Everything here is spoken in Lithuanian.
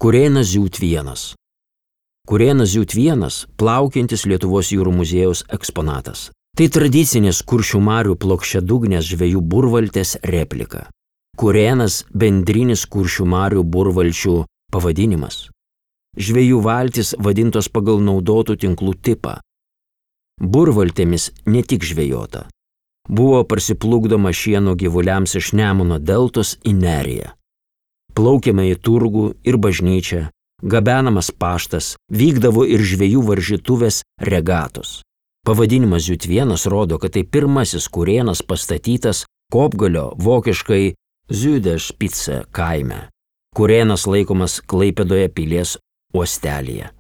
Kurėnas Ziūt 1. Kurėnas Ziūt 1 plaukiantis Lietuvos jūrų muziejaus eksponatas. Tai tradicinės Kuršių marių plokščiadugnės žvejų burvaltės replika. Kurėnas bendrinis Kuršių marių burvalčių pavadinimas. Žvejų valtis vadintos pagal naudotų tinklų tipą. Burvaltėmis ne tik žvejota. Buvo parsiplukdoma šieno gyvuliams iš Nemuno deltos į Neriją. Plaukėme į turgų ir bažnyčią, gabenamas paštas, vykdavo ir žvejų varžytuvės regatos. Pavadinimas Ziūt 1 rodo, kad tai pirmasis kurėnas pastatytas Kopgalio vokiškai Süderspitze kaime. Kurėnas laikomas Klaipėdoje pilies uostelyje.